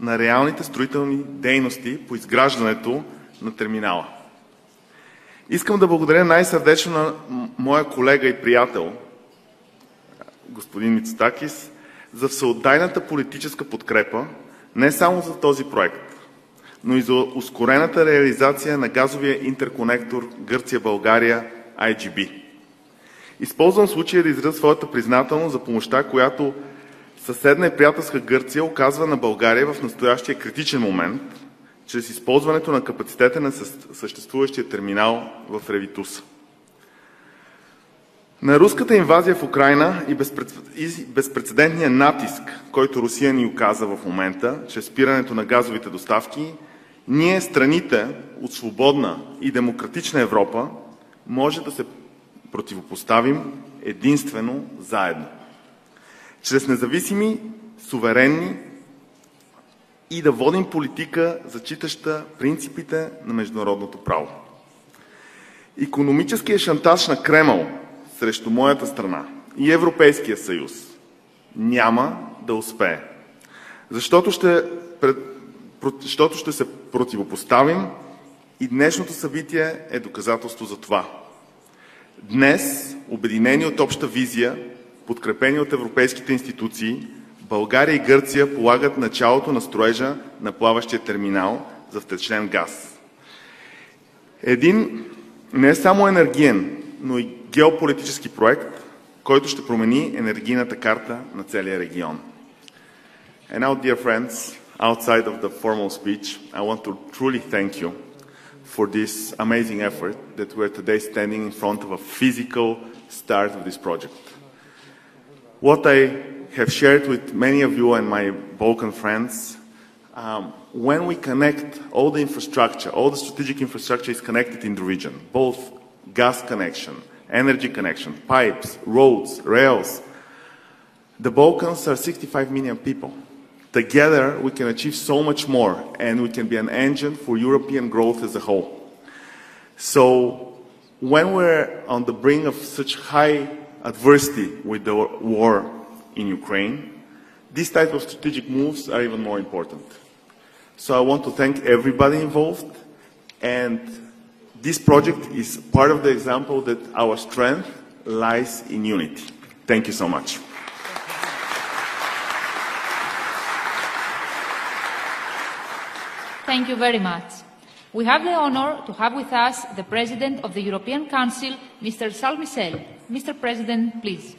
на реалните строителни дейности по изграждането на терминала. Искам да благодаря най-сърдечно на моя колега и приятел, господин Мицотакис, за всеотдайната политическа подкрепа не само за този проект, но и за ускорената реализация на газовия интерконектор Гърция-България IGB. Използвам случая да изразя своята признателност за помощта, която съседна и приятелска Гърция оказва на България в настоящия критичен момент, чрез използването на капацитета на съществуващия терминал в Ревитуса. На руската инвазия в Украйна и безпрецедентния натиск, който Русия ни оказа в момента, чрез спирането на газовите доставки, ние, страните от свободна и демократична Европа, може да се противопоставим единствено заедно. Чрез независими, суверенни и да водим политика, зачитаща принципите на международното право. Икономическият шантаж на Кремъл срещу моята страна и Европейския съюз няма да успее, защото ще се противопоставим и днешното събитие е доказателство за това. Днес, обединени от обща визия, подкрепени от европейските институции, България и Гърция полагат началото на строежа на плаващия терминал за втечнен газ. Един не само енергиен, но и геополитически проект, който ще промени енергийната карта на целия регион. And now, dear friends, outside of the formal speech, I want to truly thank you for this amazing effort that we're today standing in front of a physical start of this project. What I have shared with many of you and my Balkan friends, when we connect all the infrastructure, all the strategic infrastructure is connected in the region, both gas connection, energy connection, pipes, roads, rails. The Balkans are 65 million people. Together, we can achieve so much more, and we can be an engine for European growth as a whole. So, when we're on the brink of such high adversity with the war in Ukraine, these type of strategic moves are even more important. So I want to thank everybody involved, and this project is part of the example that our strength lies in unity. Thank you so much. Thank you very much. We have the honor to have with us the President of the European Council, Mr. Charles Michel. Mr. President, please.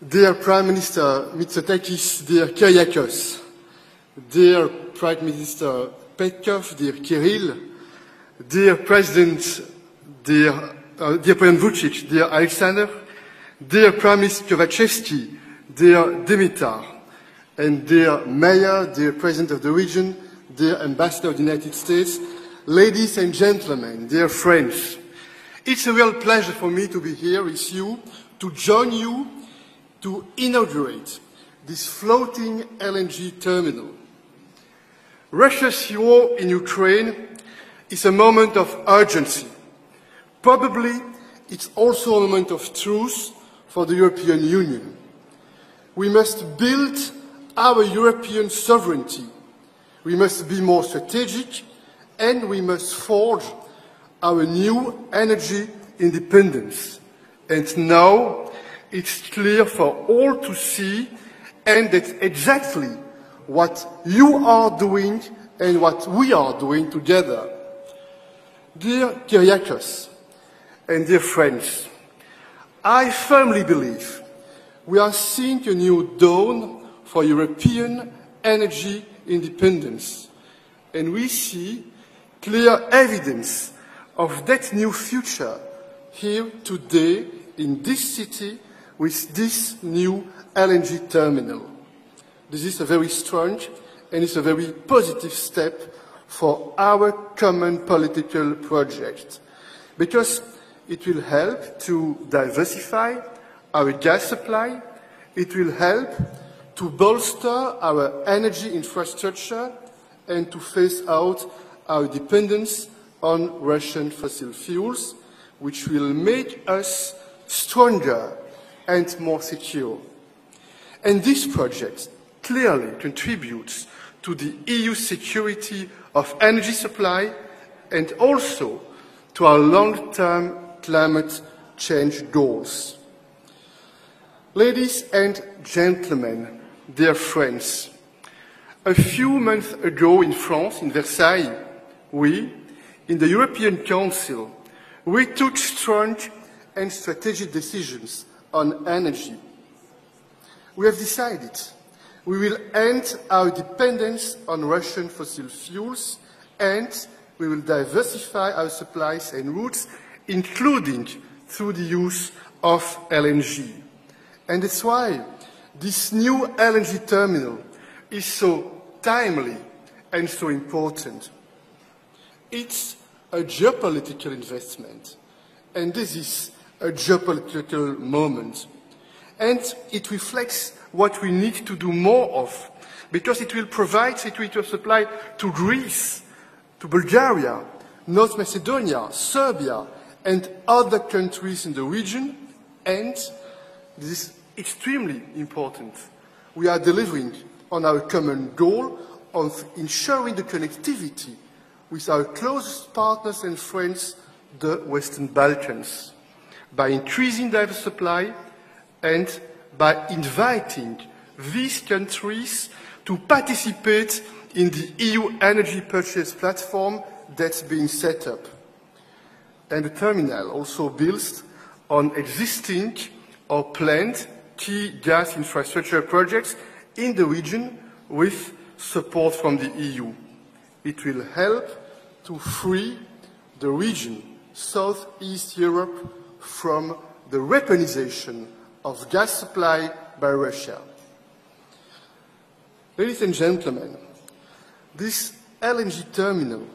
Dear Prime Minister Mitsotakis, dear Kyriakos, dear Prime Minister Petkov, dear Kirill, dear President Vucic, dear Alexander, dear Prime Minister Kovachevsky, dear Dimitar, and dear Mayor, dear President of the region, dear Ambassador of the United States, ladies and gentlemen, dear friends, it's a real pleasure for me to be here with you, to join you, to inaugurate this floating LNG terminal. Russia's war in Ukraine is a moment of urgency. Probably it's also a moment of truth for the European Union. We must build our European sovereignty. We must be more strategic, and we must forge our new energy independence. And now it's clear for all to see, and that's exactly what you are doing and what we are doing together. Dear Kyriakos and dear friends, I firmly believe we are seeing a new dawn for European energy independence, and we see clear evidence of that new future here today in this city with this new LNG terminal. This is a very strong and it's a very positive step for our common political project, because it will help to diversify our gas supply, it will help to bolster our energy infrastructure and to phase out our dependence on Russian fossil fuels, which will make us stronger and more secure. And this project clearly contributes to the EU security of energy supply and also to our long-term climate change goals. Ladies and gentlemen, dear friends, a few months ago in France, in Versailles, we, in the European Council, we took strong and strategic decisions on energy. We have decided we will end our dependence on Russian fossil fuels and we will diversify our supplies and routes, including through the use of LNG. And that's why this new LNG terminal is so timely and so important. It's a geopolitical investment, and this is a geopolitical moment. And it reflects what we need to do more of, because it will provide security of supply to Greece, to Bulgaria, North Macedonia, Serbia, and other countries in the region, and this is extremely important. We are delivering on our common goal of ensuring the connectivity with our closest partners and friends, the Western Balkans, by increasing diverse supply and by inviting these countries to participate in the EU energy purchase platform that's being set up. And the terminal also builds on existing or planned key gas infrastructure projects in the region with support from the EU. It will help to free the region, Southeast Europe, from the weaponization of gas supply by Russia. Ladies and gentlemen, this LNG terminal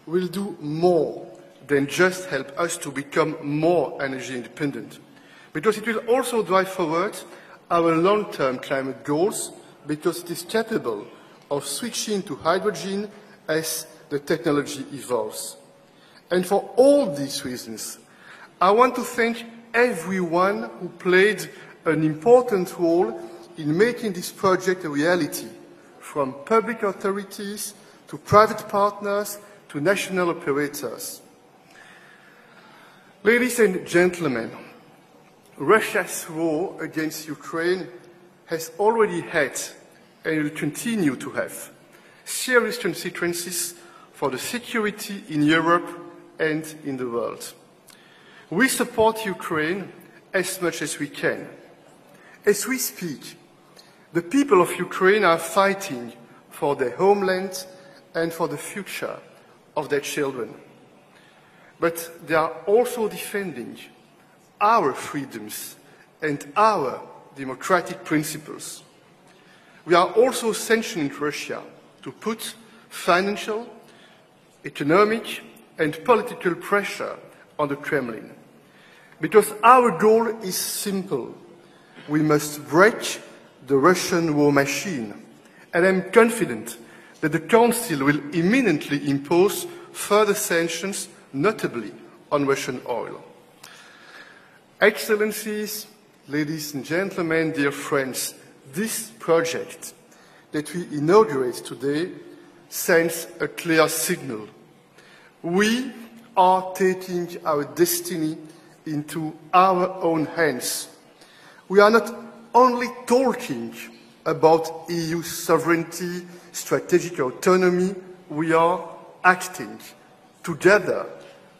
will do more than just help us to become more energy independent, because it will also drive forward our long-term climate goals, because it is capable of switching to hydrogen as the technology evolves. And for all these reasons, I want to thank everyone who played an important role in making this project a reality, from public authorities to private partners to national operators. Ladies and gentlemen, Russia's war against Ukraine has already had and will continue to have serious consequences for the security in Europe and in the world. We support Ukraine as much as we can. As we speak, the people of Ukraine are fighting for their homeland and for the future of their children. But they are also defending our freedoms and our democratic principles. We are also sanctioning Russia to put financial, economic, and political pressure on the Kremlin. Because our goal is simple. We must break the Russian war machine. And I'm confident that the Council will imminently impose further sanctions, notably on Russian oil. Excellencies, ladies and gentlemen, dear friends, this project that we inaugurate today sends a clear signal. We are taking our destiny into our own hands. We are not only talking about EU sovereignty, strategic autonomy, we are acting together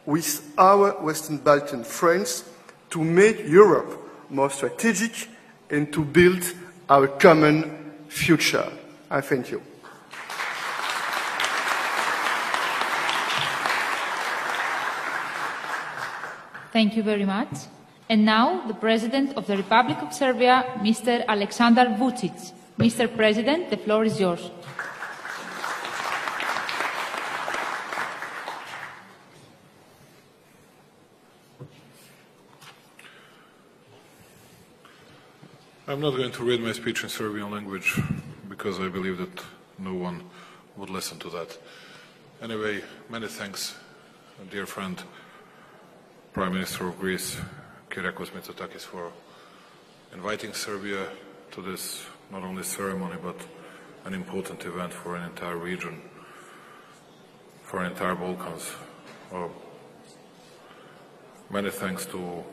with our Western Balkan friends to make Europe more strategic and to build our common future. I thank you. Thank you very much. And now, the President of the Republic of Serbia, Mr. Aleksandar Vučić. Mr. President, the floor is yours. I'm not going to read my speech in Serbian language because I believe that no one would listen to that. Anyway, many thanks, dear friend, Prime Minister of Greece, Kyriakos Mitsotakis, for inviting Serbia to this not only ceremony but an important event for an entire region, for an entire Balkans. Many thanks to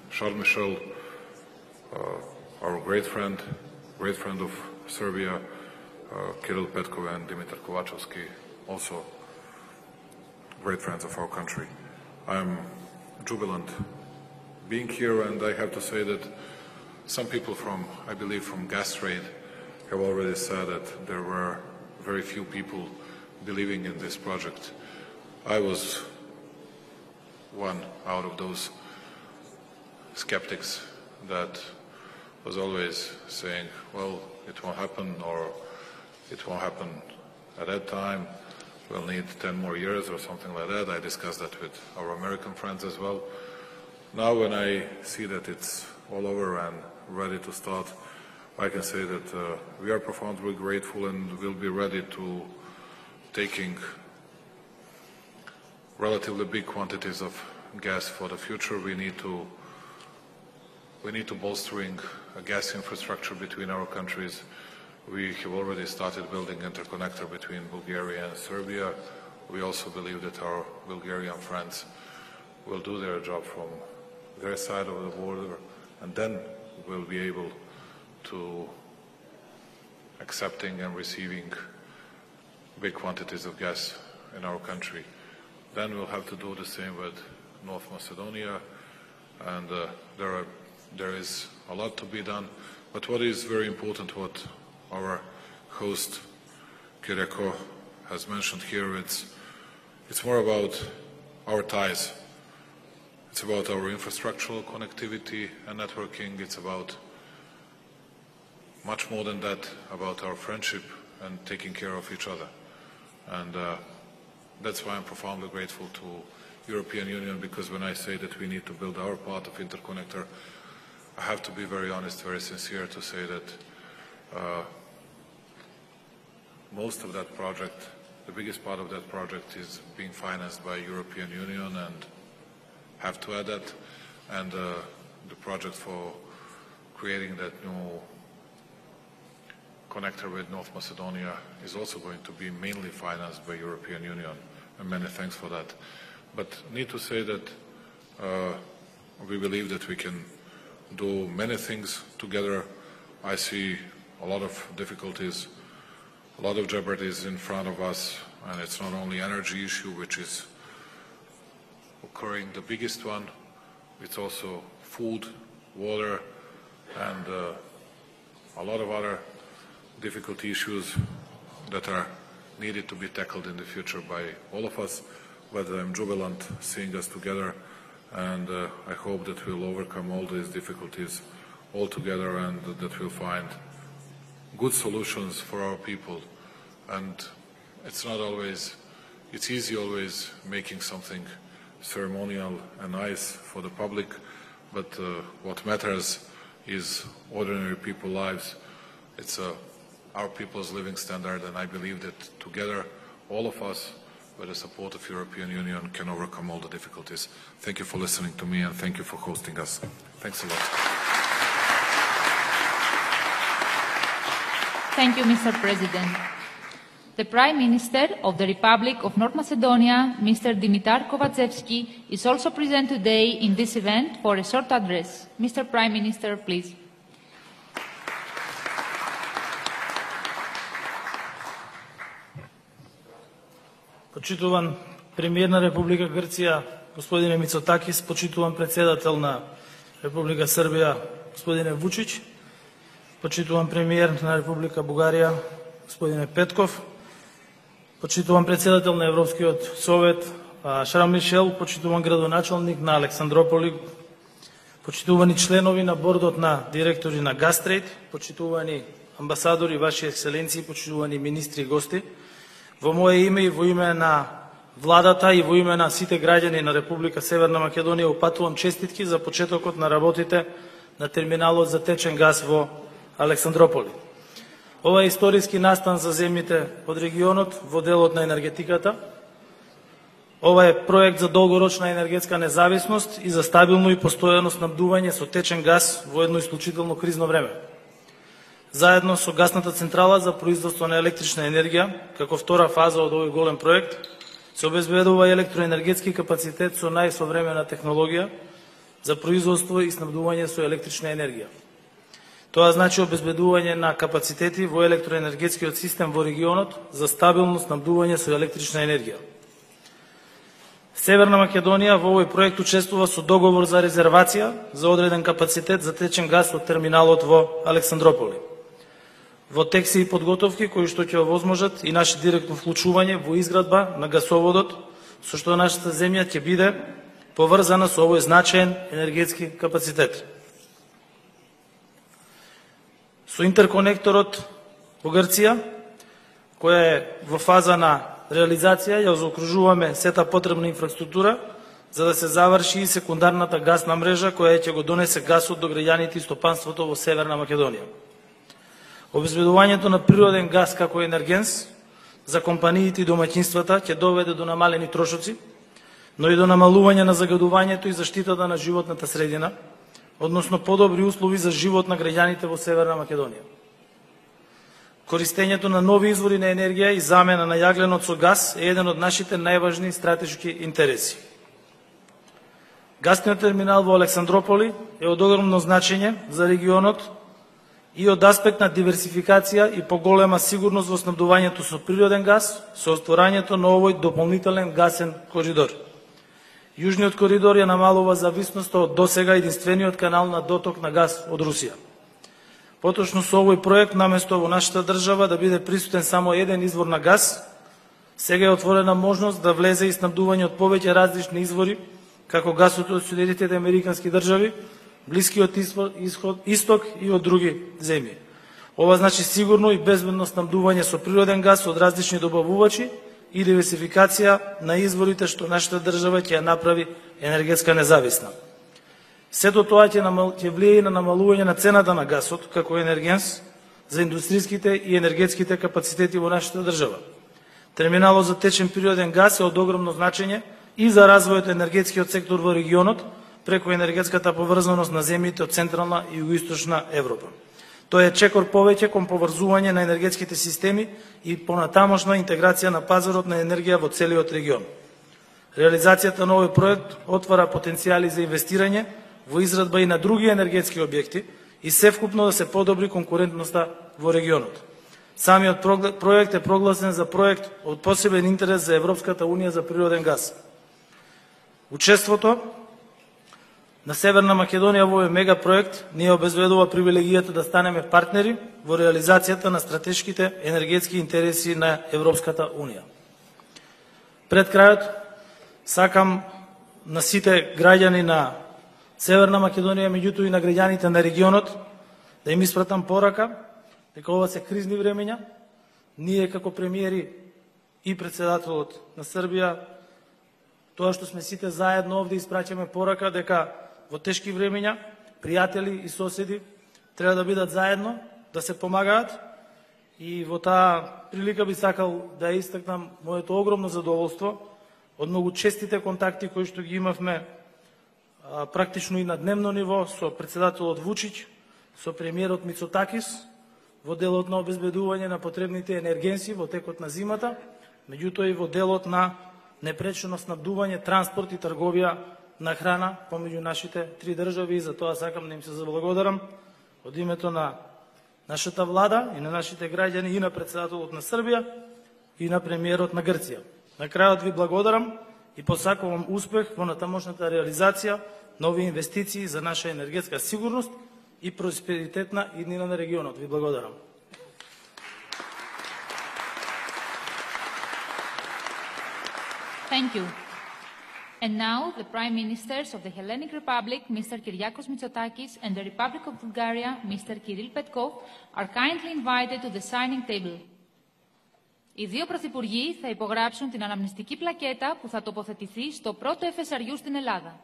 Charles Michel, our great friend of Serbia, Kirill Petkov and Dimitar Kovacevski, also great friends of our country. I'm jubilant being here, and I have to say that some people I believe from Gas Trade have already said that there were very few people believing in this project. I was one out of those skeptics that was always saying, well, it won't happen, or it won't happen at that time, we'll need 10 more years or something like that. I discussed that with our American friends as well. Now when I see that it's all over and ready to start, I can say that we are profoundly grateful and will be ready to taking relatively big quantities of gas for the future. We need to bolstering a gas infrastructure between our countries. We have already started building interconnector between Bulgaria and Serbia. We also believe that our Bulgarian friends will do their job from their side of the border, and then we'll be able to accepting and receiving big quantities of gas in our country. Then we'll have to do the same with North Macedonia, and there is a lot to be done. But what is very important, what our host Kyriakos has mentioned here, it's more about our ties. It's about our infrastructural connectivity and networking. It's about much more than that, about our friendship and taking care of each other. And that's why I'm profoundly grateful to European Union, because when I say that we need to build our part of interconnector, I have to be very honest, very sincere to say that most of that project, the biggest part of that project, is being financed by European Union, and have to add that. And the project for creating that new connector with North Macedonia is also going to be mainly financed by European Union, and many thanks for that. But need to say that we believe that we can do many things together. I see a lot of difficulties, a lot of jeopardies in front of us, and it's not only energy issue which is occurring, the biggest one, it's also food, water, and a lot of other difficult issues that are needed to be tackled in the future by all of us. But I'm jubilant seeing us together, and I hope that we'll overcome all these difficulties all together, and that we'll find good solutions for our people. And it's not always, it's easy always making something ceremonial and nice for the public, but what matters is ordinary people's lives. It's our people's living standard, and I believe that together, all of us, with the support of European Union, can overcome all the difficulties. Thank you for listening to me, and thank you for hosting us. Thanks a lot. Thank you, Mr. President. The Prime Minister of the Republic of North Macedonia, Mr. Dimitar Kovacevski, is also present today in this event for a short address. Mr. Prime Minister, please. Почитуван премиер на Република Грција, господине Мицотакис, почитуван председател на Република Србија, господине Вучич, почитуван премиер на Република Бугарија, господине Петков, почитуван председател на Европскиот совет, Шарл Мишел, почитуван градоначалник на Александрополи, почитувани членови на бордот на директори на Gas Trade, почитувани амбасадори, ваши екселенции, почитувани министри и гости, во мое име и во име на владата и во име на сите граѓани на Република Северна Македонија упатувам честитки за почетокот на работите на терминалот за течен газ во Александрополи. Ова е историски настан за земјите од регионот во делот на енергетиката. Ова е проект за долгорочна енергетска независност и за стабилно и постојано снабдување со течен газ во едно исклучително кризно време. Заедно со гасната централа за производство на електрична енергија, како втора фаза од овој голем проект, се обезбедува електроенергетски капацитет со најсовремена технологија за производство и снабдување со електрична енергија. Тоа значи обезбедување на капацитети во електроенергетскиот систем во регионот за стабилно снабдување со електрична енергија. Северна Македонија во овој проект учествува со договор за резервација за одреден капацитет за течен газ од терминалот во Александрополи. Во тек се и подготовки кои што ќе овозможат и наше директно вклучување во изградба на гасоводот, со што нашата земја ќе биде поврзана со овој значаен енергетски капацитет. Со интерконекторот во Грција, која е во фаза на реализација, ја заокружуваме сета потребна инфраструктура за да се заврши и секундарната гасна мрежа која ќе го донесе гасот до граѓаните и стопанството во Северна Македонија. Обезбедувањето на природен газ како енергенс за компаниите и домаќинствата ќе доведе до намалени трошоци, но и до намалување на загадувањето и заштитата на животната средина, односно подобри услови за живот на граѓаните во Северна Македонија. Користењето на нови извори на енергија и замена на јагленот со газ е еден од нашите најважни стратешки интереси. Гасниот терминал во Александрополи е од огромно значење за регионот и од аспект на диверсификација и поголема сигурност во снабдувањето со природен газ, со отворањето на овој дополнителен гасен коридор. Јужниот коридор ја намалува зависноста од досега единствениот канал на доток на газ од Русија. Поточно со овој проект, наместо во нашата држава да биде присутен само еден извор на газ, сега е отворена можност да влезе и снабдување од повеќе различни извори, како гасот од Соединетите американски држави, Блискиот исток и од други земји. Ова значи сигурно и безбедно снабдување со природен газ од различни добавувачи и диверсификација на изворите што нашата држава ќе ја направи енергетска независна. Сето тоа ќе влие и на намалување на цената на гасот како енергенс за индустријските и енергетските капацитети во нашата држава. Терминалот за течен природен газ е од огромно значење и за развојот енергетскиот сектор во регионот преку енергетската поврзаност на земјите од Централна и Југоисточна Европа. Тоа е чекор повеќе кон поврзување на енергетските системи и понатамошна интеграција на пазарот на енергија во целиот регион. Реализацијата на овој проект отвара потенцијали за инвестирање во израдба и на други енергетски објекти и севкупно да се подобри конкурентноста во регионот. Самиот проект е прогласен за проект од посебен интерес за Европската Унија за природен газ. Учеството на Северна Македонија во овој мегапроект ни обезбедува привилегијата да станеме партнери во реализацијата на стратешките енергетски интереси на Европската Унија. Пред крајот, сакам на сите граѓани на Северна Македонија, меѓутоа и на граѓаните на регионот, да им испратам порака дека ова се кризни времења. Ние како премиери и председателот на Србија, тоа што сме сите заедно овде, испраќаме порака дека во тешки времења пријатели и соседи треба да бидат заедно, да се помагаат, и во таа прилика би сакал да истакнам моето огромно задоволство од многу честите контакти кои што ги имавме практично и на дневно ниво со председателот Вучич, со премиерот Мицотакис во делот на обезбедување на потребните енергенси во текот на зимата, меѓутоа и во делот на непречено снабдување, транспорт и трговија на храна помеѓу нашите три држави, и за тоа сакам да им се заблагодарам од името на нашата влада и на нашите граѓани и на председателот на Србија и на премиерот на Грција. На крајот ви благодарам и посакувам успех во натамошната реализација на овие инвестиции за наша енергетска сигурност и просперитетна иднина на регионот. Ви благодарам. Thank you. And now, the Prime Ministers of the Hellenic Republic, Mr. Kyriakos Mitsotakis, and the Republic of Bulgaria, Mr. Kirill Petkov, are kindly invited to the signing table. Οι δύο πρωθυπουργοί θα υπογράψουν την αναμνηστική πλακέτα που θα τοποθετηθεί στο πρώτο FSRU στην Ελλάδα.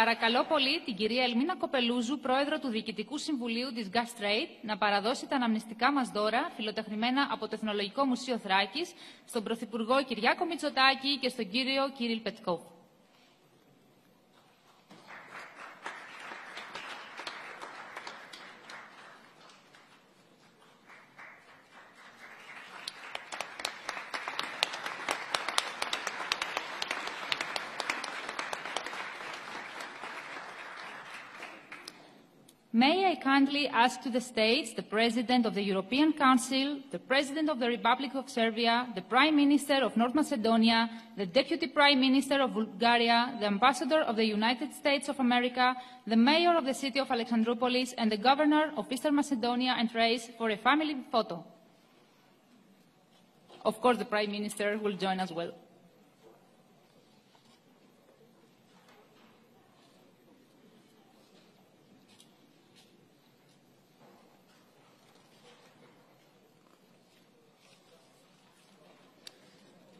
Παρακαλώ πολύ την κυρία Ελμίνα Κοπελούζου, πρόεδρο του Διοικητικού Συμβουλίου της Gas Trade, να παραδώσει τα αναμνηστικά μας δώρα, φιλοτεχνημένα από το Εθνολογικό Μουσείο Θράκης, στον Πρωθυπουργό Κυριάκο Μητσοτάκη και στον κύριο Κύριλ Πετκόφ. May I kindly ask to the states, the President of the European Council, the President of the Republic of Serbia, the Prime Minister of North Macedonia, the Deputy Prime Minister of Bulgaria, the Ambassador of the United States of America, the Mayor of the city of Alexandroupolis, and the Governor of Eastern Macedonia and Thrace for a family photo. Of course, the Prime Minister will join as well.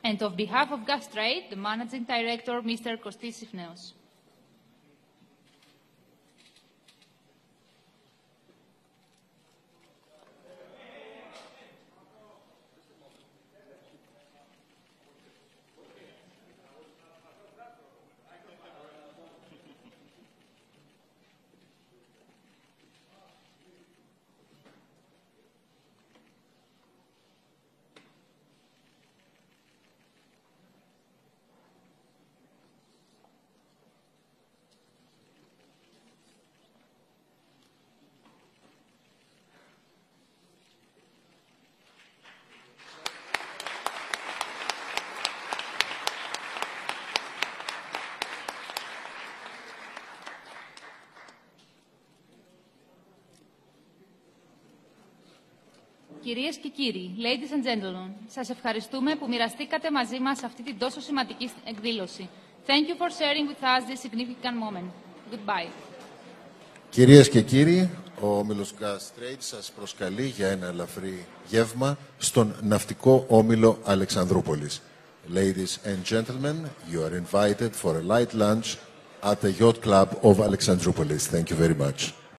And on behalf of Gas Trade, the Managing Director, Mr. Kostis Sifneos. Κυρίες και κύριοι, ladies and gentlemen, σας ευχαριστούμε που μοιραστήκατε μαζί μας αυτή την τόσο σημαντική εκδήλωση. Thank you for sharing with us this significant moment. Goodbye. Κυρίες και κύριοι, ο Όμιλος Gas Trade σας προσκαλεί για ένα ελαφρύ γεύμα στον ναυτικό όμιλο Αλεξανδρούπολης. Ladies and gentlemen, you are invited for a light lunch at the Yacht Club of Alexandroupolis. Thank you very much.